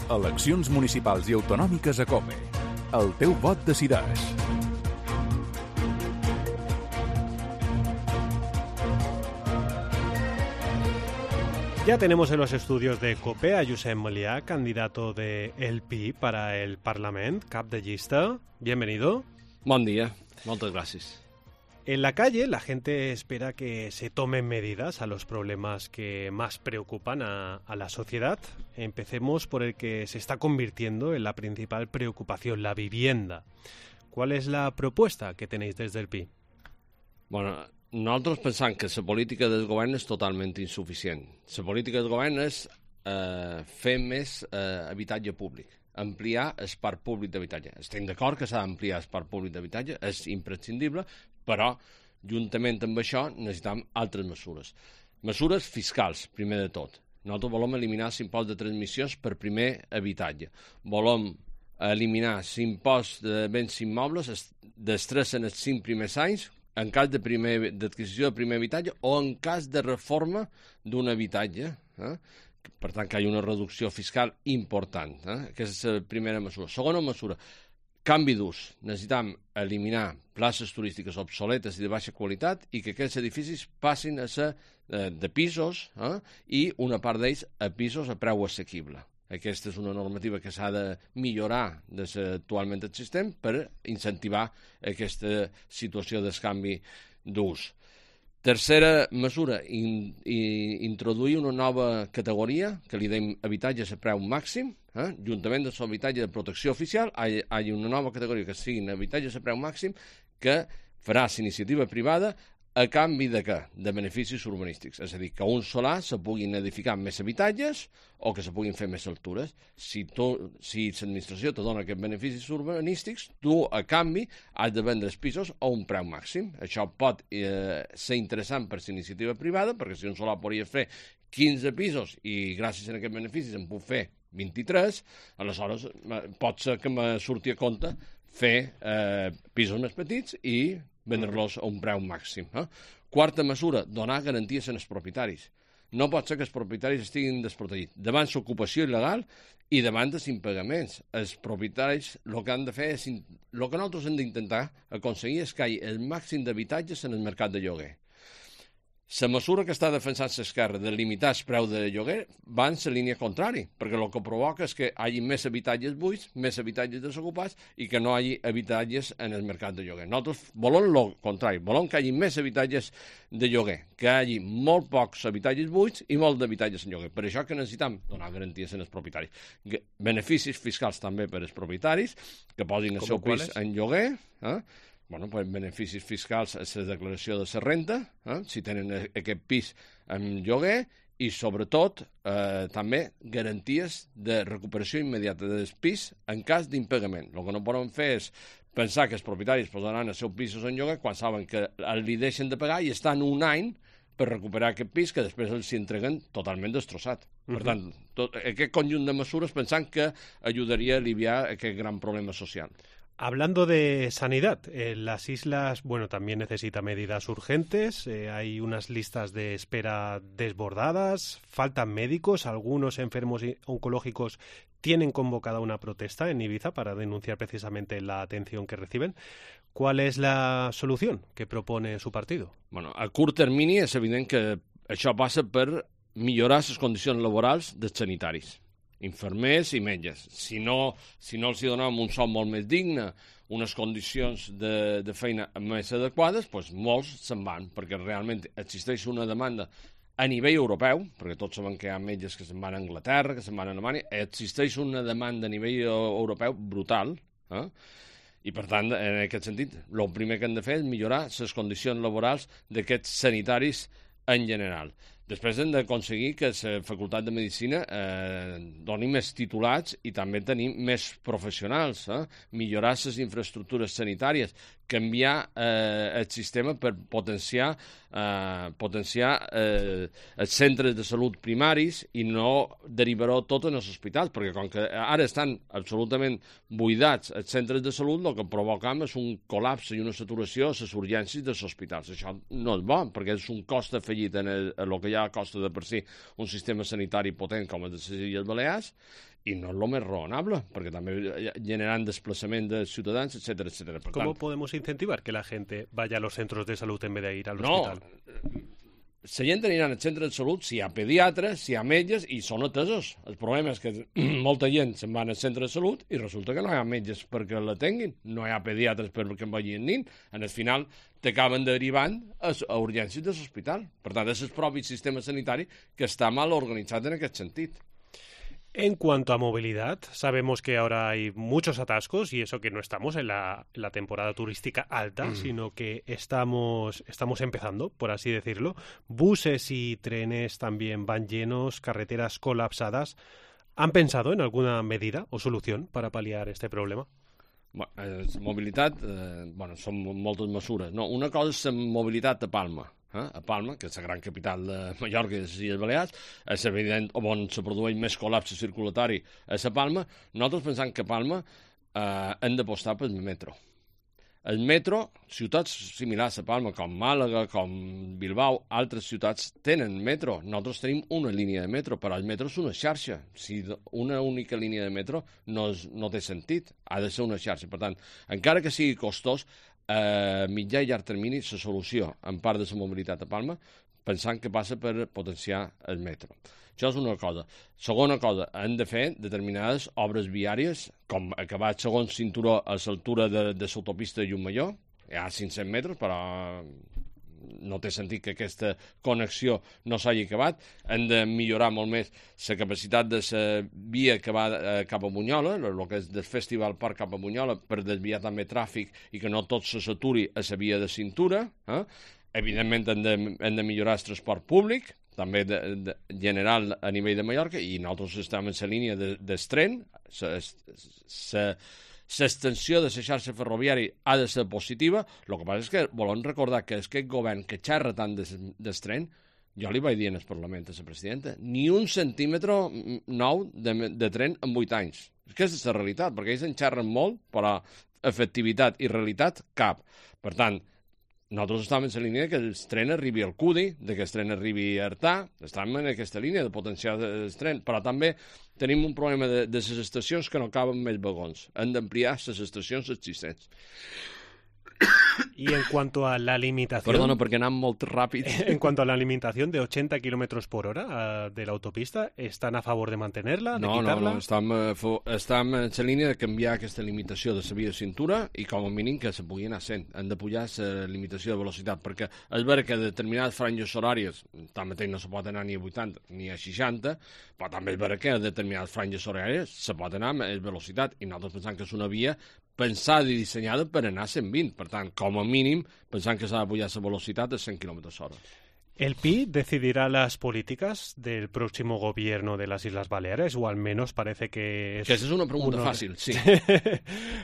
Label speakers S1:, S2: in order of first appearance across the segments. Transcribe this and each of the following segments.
S1: Eleccions municipals i autonòmiques a COPE. El teu vot decideix.
S2: Ya tenemos en los estudios de COPE a Josep Melià, candidato de El PI para el Parlament, cap de llista. Bienvenido.
S3: Bon dia, moltes gràcies.
S2: En la calle, la gente espera que se tomen medidas a los problemas que más preocupan a la sociedad. Empecemos por el que se está convirtiendo en la principal preocupación, la vivienda. ¿Cuál es la propuesta que tenéis desde el PI?
S3: Bueno, nosaltres pensam que la política del govern és totalment insuficient. La política del govern és fer més habitatge públic, ampliar el parc públic d'habitatge. Estem d'acord que s'ha d'ampliar el parc públic d'habitatge, és imprescindible, però juntament amb això necessitem altres mesures. Mesures fiscals, primer de tot. Nosaltres volem eliminar l'impost de transmissions per primer habitatge. Volem eliminar l'impost de béns immobles dels 3 en els 5 primers anys, en cas d'adquisició de primer habitatge o en cas de reforma d'un habitatge. Per tant, que hi ha una reducció fiscal important. Aquesta és la primera mesura. Segona mesura, canvi d'ús. Necessitem eliminar places turístiques obsoletes i de baixa qualitat i que aquests edificis passin a ser de pisos i una part d'ells a pisos a preu assequible. Aquesta és una normativa que s'ha de millorar des actualment existent per incentivar aquesta situació d'escanvi d'ús. Tercera mesura, introduir una nova categoria que li deim habitatges a preu màxim, juntament amb l'habitatge de protecció oficial, hi ha una nova categoria que siguin habitatges a preu màxim que farà l'iniciativa privada a canvi de què? De beneficis urbanístics. És a dir, que un solar se puguin edificar més habitatges o que se puguin fer més altures. Si l'administració te dona aquests beneficis urbanístics, tu, a canvi, has de vendre els pisos a un preu màxim. Això pot ser interessant per l'iniciativa privada, perquè si un solar podria fer 15 pisos i gràcies a aquests beneficis en puc fer 23, aleshores pot ser que me surti a compte fer pisos més petits i vendre-los a un preu màxim. Quarta mesura, donar garanties als propietaris. No pot ser que els propietaris estiguin desprotegits davant l'ocupació il·legal i davant dels impagaments. Els propietaris el que han de fer és... El que nosaltres hem d'intentar aconseguir és que hi hagi el màxim d'habitatges en el mercat de lloguer. La mesura que està defensant l'esquerra de limitar el preu de lloguer va en la línia contrària, perquè el que provoca és que hi hagi més habitatges buits, més habitatges desocupats i que no hi hagi habitatges en el mercat de lloguer. Nosaltres volem el contrari, volem que hi hagi més habitatges de lloguer, que hi hagi molt pocs habitatges buits i molt d'habitatges en lloguer. Per això que necessitem donar garanties als propietaris. Beneficis fiscals també per als propietaris, que posin el seu pis en lloguer, beneficis fiscals a la declaració de la renta, si tenen aquest pis en lloguer, i sobretot també garanties de recuperació immediata del pis en cas d'impagament. El que no poden fer és pensar que els propietaris posaran els seus pisos en lloguer quan saben que li deixen de pagar i estan un any per recuperar aquest pis que després els entreguen totalment destrossat. Per tant, aquest conjunt de mesures pensant que ajudaria a aliviar aquest gran problema social.
S2: Hablando de sanidad, las islas, también necesita medidas urgentes, hay unas listas de espera desbordadas, faltan médicos, algunos enfermos oncológicos tienen convocada una protesta en Ibiza para denunciar precisamente la atención que reciben. ¿Cuál es la solución que propone su partido?
S3: A curt termini és evident que això passa per millorar les condicions laborals dels sanitaris, infermers i metges. Si no els donem un sou molt més digne, unes condicions de feina més adequades, doncs molts se'n van, perquè realment existeix una demanda a nivell europeu, perquè tots sabem que hi ha metges que se'n van a Anglaterra, que se'n van a Alemanya, existeix una demanda a nivell europeu brutal, i per tant, en aquest sentit, el primer que hem de fer és millorar les condicions laborals d'aquests sanitaris en general. Després hem d'aconseguir que la Facultat de Medicina doni més titulats i també tenir més professionals, millorar les infraestructures sanitàries, canviar el sistema per potenciar els centres de salut primaris i no derivar-ho tot en els hospitals, perquè com que ara estan absolutament buidats els centres de salut, el que provocam és un col·lapse i una saturació a les urgències dels hospitals. Això no és bo, perquè és un cost afegit en el que hi allà costa de per si un sistema sanitari potent com el de les Illes Balears, i no és el més raonable, perquè també generan desplaçament de ciutadans, etcétera, etcétera.
S2: ¿Cómo podemos incentivar que la gente vaya a los centros de salud en vez de ir al hospital?
S3: La gent anirà al centre de salut si hi ha pediatres, si hi ha metges, i són atesos. El problema és que molta gent se'n va al centre de salut i resulta que no hi ha metges perquè l'atenguin, no hi ha pediatres perquè en vagin nin. En el final t'acaben derivant a urgències de l'hospital. Per tant, és el propi sistema sanitari que està mal organitzat en aquest sentit.
S2: En cuanto a movilidad, sabemos que ahora hay muchos atascos y eso que no estamos en la temporada turística alta, sino que estamos empezando, por así decirlo. Buses y trenes también van llenos, carreteras colapsadas. ¿Han pensado en alguna medida o solución para paliar este problema?
S3: Mobilitat, són moltes mesures. No, una cosa és la mobilitat a Palma. A Palma, que és la gran capital de Mallorca i de les Illes Balears, és evident on se produeix més col·lapse circulatori a la Palma. Nosaltres pensem que a Palma hem d'apostar pel metro. El metro, ciutats similars a Palma, com Màlaga, com Bilbao, altres ciutats tenen metro. Nosaltres tenim una línia de metro, però el metro és una xarxa. Si una única línia de metro no té sentit, ha de ser una xarxa. Per tant, encara que sigui costós, a mitjà i llarg termini la solució en part de la mobilitat a Palma pensant que passa per potenciar el metro. Això és una cosa. Segona cosa, hem de fer determinades obres viàries, com acabar el segon cinturó a l'altura de l'autopista de Llucmajor, hi ha 500 metres, però no té sentit que aquesta connexió no s'hagi acabat. Hem de millorar molt més la capacitat de la via que va cap a Bunyola, el que és del Festival Park cap a Bunyola, per desviar també tràfic i que no tot se s'aturi a la via de cintura. Evidentment hem de millorar el transport públic, també general a nivell de Mallorca, i nosaltres estem en la línia del tren. L'extensió de la xarxa ferroviària ha de ser positiva. El que passa és que volem recordar que aquest govern que xerra tant del tren, jo li vaig dir en el Parlament a la presidenta, ni un centímetre nou de tren en 8 anys. Aquesta és la realitat, perquè ells en xerren molt, però efectivitat i realitat cap. Per tant, nosaltres estem en la línia que el tren arribi al Cudi, que el tren arribi a Artà, estem en aquesta línia de potenciar el tren, però també tenim un problema de les estacions que no caben més vagons. Hem d'ampliar les estacions existents.
S2: Y en cuanto a la limitación...
S3: Perdona, perquè anem molt ràpid.
S2: En cuanto a la limitación de 80 kilómetros por hora de la autopista, ¿están a favor de mantenerla, de quitarla?
S3: No, estem en la línia de canviar aquesta limitació de la via de cintura i com a mínim que se pugui anar 100. Hem de pujar la limitació de velocitat, perquè és vera que determinades franges horàries, tanmateix no se pot anar ni a 80 ni a 60, però també és vera que a determinades franges horàries se pot anar a més velocitat, i nosaltres pensem que és una via pensada i dissenyada per anar a 120. Per tant, com a mínim, pensant que s'ha de pujar la velocitat a 100 km/h.
S2: ¿El PI decidirá las políticas del próximo gobierno de las Islas Baleares? O al menos parece que es...
S3: Que esa es una pregunta fácil, sí.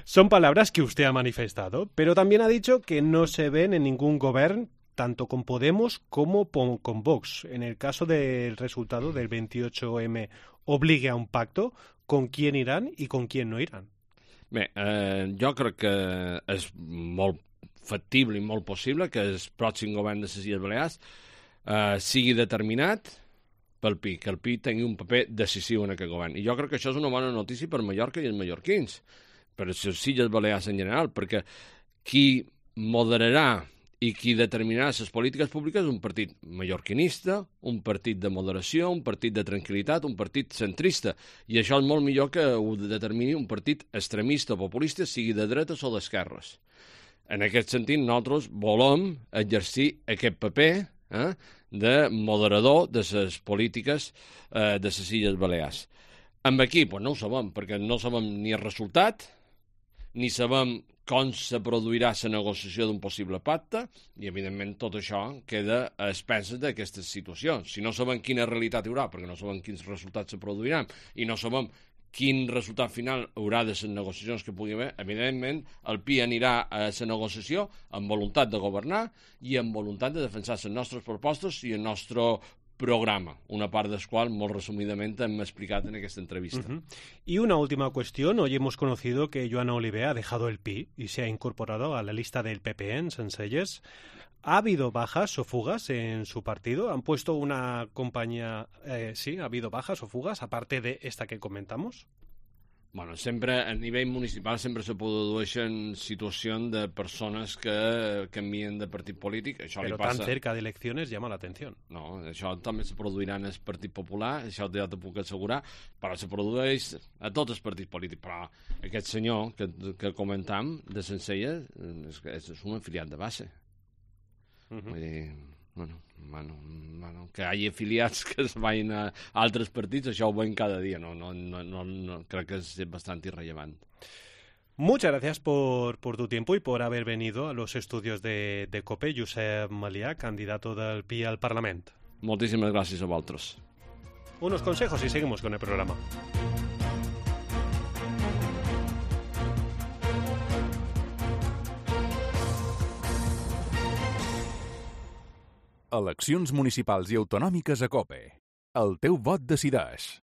S2: Son palabras que usted ha manifestado, pero también ha dicho que no se ven en ningún gobierno, tanto con Podemos como con Vox. En el caso del resultado del 28M, ¿obligue a un pacto? ¿Con quién irán y con quién no irán?
S3: Bé, jo crec que és molt factible i molt possible que el pròxim govern de les Illes Balears sigui determinat pel PI, que el PI tingui un paper decisiu en aquest govern. I jo crec que això és una bona notícia per Mallorca i els mallorquins, per les Illes Balears en general, perquè qui moderarà i qui determinarà les polítiques públiques és un partit mallorquinista, un partit de moderació, un partit de tranquil·litat, un partit centrista. I això és molt millor que ho determini un partit extremista o populista, sigui de dretes o d'esquerres. En aquest sentit, nosaltres volem exercir aquest paper de moderador de les polítiques de les Illes Balears. Amb aquí, doncs no ho sabem, perquè no sabem ni el resultat, ni sabem com se produirà la negociació d'un possible pacte, i evidentment tot això queda a expenses d'aquesta situació. Si no sabem quina realitat hi haurà, perquè no sabem quins resultats se produiran, i no sabem quin resultat final haurà de les negociacions que pugui haver, evidentment el PI anirà a la negociació amb voluntat de governar i amb voluntat de defensar les nostres propostes i el nostre programa, una part del qual, molt resumidament, hem explicat en aquesta entrevista.
S2: Y una última cuestión. Hoy hemos conocido que Joana Oliver ha dejado el PI y se ha incorporado a la lista del PP en Sencelles. ¿Ha habido bajas o fugas en su partido? ¿Han puesto una compañía... sí, ha habido bajas o fugas, aparte de esta que comentamos?
S3: Bueno, sempre, a nivell municipal sempre se produeixen situacions de persones que canvien de partit polític. Això
S2: Pero
S3: li passa...
S2: tan cerca de elecciones llama la atención.
S3: No, això també se produirà en el Partit Popular, això ja t'ho puc assegurar, però se produeix a tots els partits polítics. Però aquest senyor que comentam, de Sencelles, és un afiliat de base. Vull dir, bueno, que hi hagi afiliats que es vagin a altres partits, això ho veiem cada dia, no, crec que és bastante irrellevant.
S2: Muchas gracias por tu tiempo y por haber venido a los estudios de COPE, Josep Malià, candidato del PI al Parlament.
S3: Moltíssimes gràcies a vosaltres.
S2: Unos consejos y seguimos con el programa.
S1: Eleccions municipals i autonòmiques a COPE. El teu vot decideix.